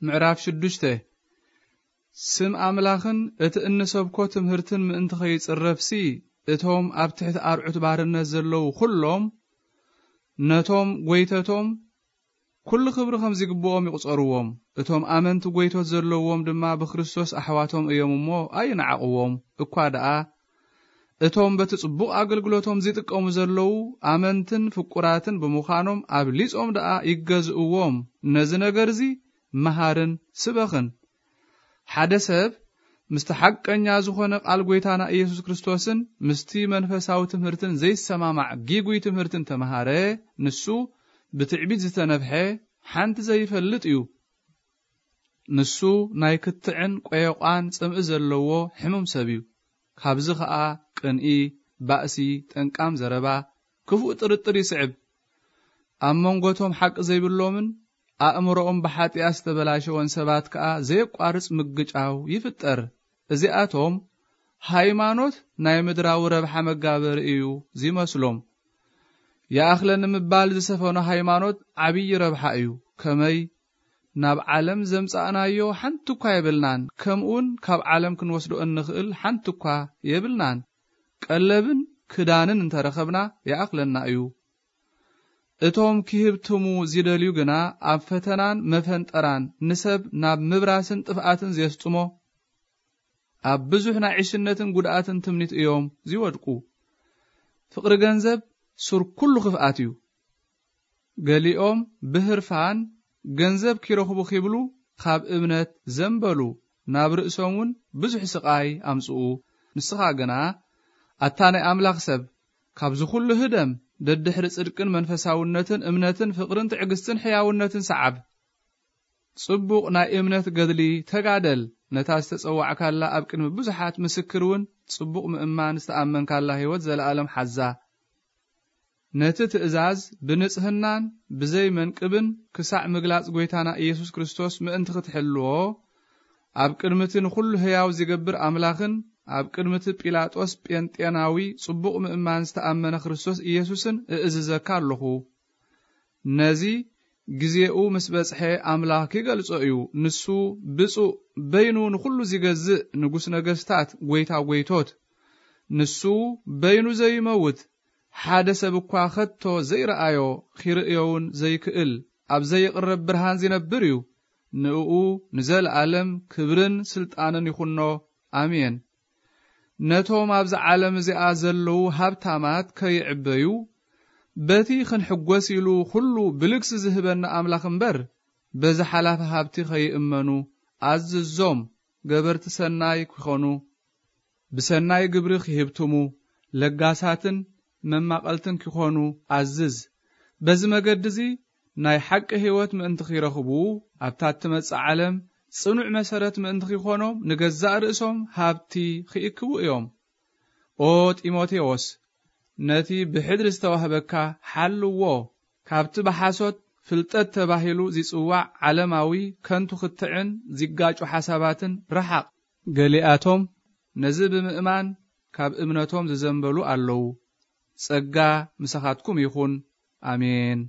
ምዕራፍ ሽዱሽተ። ስም ኣምላኽን እቲ እንሰብኮ ትምህርትን ምእንቲ ኸይጽረፍሲ፣ እቶም ኣብ ትሕቲ ኣርዑት ባርነት ዘለዉ ኹሎም፣ ነቶም ጐይተቶም ኩሉ ክብሪ ከም ዚግብኦም ይቑጸርዎም። እቶም ኣመንቲ ጐይቶት ዘለዎም ድማ ብክርስቶስ ኣሕዋቶም እዮም እሞ ኣይንዓቕዎም። እኳ ደኣ እቶም በቲ ጽቡቕ ኣገልግሎቶም ዚጥቀሙ ዘለዉ ኣመንትን ፍቁራትን ብምዃኖም ኣብሊጾም ደኣ ይገዝእዎም። ነዚ ነገር እዚ መሃርን ስበኽን። ሓደ ሰብ ምስቲ ሓቀኛ ዝኾነ ቃል ጐይታና ኢየሱስ ክርስቶስን ምስቲ መንፈሳዊ ትምህርትን ዘይሰማማዕ ጊጉይ ትምህርትን ተመሃረ፣ ንሱ ብትዕቢት ዝተነፍሐ ሓንቲ ዘይፈልጥ እዩ። ንሱ ናይ ክትዕን ቆየቋን ጽምኢ ዘለዎ ሕሙም ሰብ እዩ። ካብዚ ኸኣ ቅንኢ፣ ባእሲ፣ ጠንቃም ዘረባ፣ ክፉእ ጥርጥር ይስዕብ። ኣብ መንጎቶም ሓቂ ዘይብሎምን ኣእምሮኦም ብሓጢኣት ዝተበላሸወን ሰባት ከኣ ዘየቋርጽ ምግጫው ይፍጠር። እዚኣቶም ሃይማኖት ናይ ምድራዊ ረብሓ መጋበሪ እዩ ዚመስሎም። ይኣኽለኒ ምባል ዝሰፈኖ ሃይማኖት ዓብዪ ረብሓ እዩ። ከመይ? ናብ ዓለም ዘምጻእናዮ ሓንቲ እኳ የብልናን፣ ከምኡውን ካብ ዓለም ክንወስዶ እንኽእል ሓንቲ እኳ የብልናን። ቀለብን ክዳንን እንተረኸብና ይኣኽለና እዩ። እቶም ክህብትሙ ዚደልዩ ግና ኣብ ፈተናን መፈንጠራን ንሰብ ናብ ምብራስን ጥፍኣትን ዜስጥሞ፣ ኣብ ብዙሕ ናይ ዕሽነትን ጉድኣትን ትምኒት እዮም ዚወድቁ። ፍቕሪ ገንዘብ ሱር ኩሉ ክፍኣት እዩ። ገሊኦም ብህርፋን ገንዘብ ኪረኽቡ ኪብሉ ካብ እምነት ዘንበሉ፣ ናብ ርእሶም እውን ብዙሕ ስቓይ ኣምጽኡ። ንስኻ ግና፣ ኣታ ናይ ኣምላኽ ሰብ፣ ካብዚ ኩሉ ህደም፣ ደድሕሪ ጽድቅን መንፈሳውነትን እምነትን ፍቕርን ትዕግስትን ሕያውነትን ሰዓብ። ጽቡቕ ናይ እምነት ገድሊ ተጋደል፣ ነታ ዝተጸዋዕካላ ኣብ ቅድሚ ብዙሓት ምስክር እውን ጽቡቕ ምእማን ዝተኣመንካላ ህይወት ዘለኣለም ሓዛ። ነቲ ትእዛዝ ብንጽህናን ብዘይ መንቅብን ክሳዕ ምግላጽ ጐይታና ኢየሱስ ክርስቶስ ምእንቲ ክትሕልዎ፣ ኣብ ቅድሚ እቲ ንኹሉ ህያው ዚገብር ኣምላኽን ኣብ ቅድሚ እቲ ጲላጦስ ጴንጤናዊ ጽቡቕ ምእማን ዝተኣመነ ክርስቶስ ኢየሱስን እእዝዘካ ኣለኹ። ነዚ ግዜኡ ምስ በጽሐ ኣምላኽ ኪገልጾ እዩ። ንሱ ብጹእ፣ በይኑ ንኹሉ ዚገዝእ፣ ንጉስ ነገስታት፣ ጐይታ ጐይቶት። ንሱ በይኑ ዘይመውት፣ ሓደ ሰብ እኳ ከቶ ዘይረኣዮ፣ ኺርእዮውን ዘይክእል፣ ኣብ ዘይቕረብ ብርሃን ዚነብር እዩ። ንእኡ ንዘለኣለም ክብርን ስልጣንን ይኹኖ። ኣሜን። ነቶም ኣብዛ ዓለም እዚኣ ዘለዉ ሃብታማት ከይዕበዩ፣ በቲ ክንሕጐስ ኢሉ ኹሉ ብልግሲ ዝህበና ኣምላኽ እምበር፣ በዚ ሓላፊ ሃብቲ ኸይእመኑ ኣዝዞም። ገበርቲ ሰናይ ኪኾኑ፣ ብሰናይ ግብሪ ኺህብትሙ፣ ለጋሳትን መማቐልትን ኪኾኑ ኣዝዝ። በዚ መገዲ እዚ ናይ ሓቂ ህይወት ምእንቲ ኺረኽቡ፣ ኣብታ እትመጽእ ዓለም ጽኑዕ መሰረት ምእንቲ ኺኾኖም፣ ንገዛእ ርእሶም ሃብቲ ኺእክቡ እዮም። ኦ ጢሞቴዎስ፣ ነቲ ብሕድሪ ዝተዋህበካ ሓልዎ፣ ካብቲ ብሓሶት ፍልጠት ተባሂሉ ዚጽዋዕ ዓለማዊ ከንቱ ክትዕን ዚጋጩ ሓሳባትን ርሓቕ። ገሊኣቶም ነዚ ብምእማን ካብ እምነቶም ዝዘንበሉ ኣለዉ። ጸጋ ምሳኻትኩም ይኹን። ኣሜን።